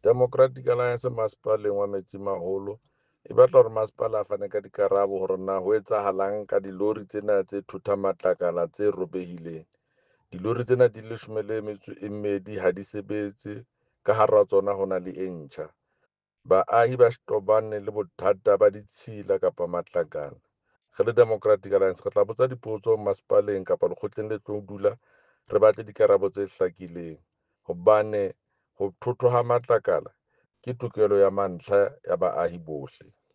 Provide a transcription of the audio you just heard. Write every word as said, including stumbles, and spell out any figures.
Democratic Alliance masepaleng wa Metsimaholo e batla hore masepala a fane ka dikarabo hore na ho etsahalang ka dilori tsena tse thothang matlakala tse robehileng. Dilori tsena di leshome le metso e mmedi ha di sebetse, ka hara tsona ho na le e ntjha. Baahi ba tobane le bothata ba ditshila kapa matlakala. Re le Democratic Alliance re tla botsa dipotso masepaleng kapa lekgotleng le tlo dula re batle dikarabo tse hlakileng hobane ho thothwa ha matlakala ke tokelo ya mantlha ya baahi bohle.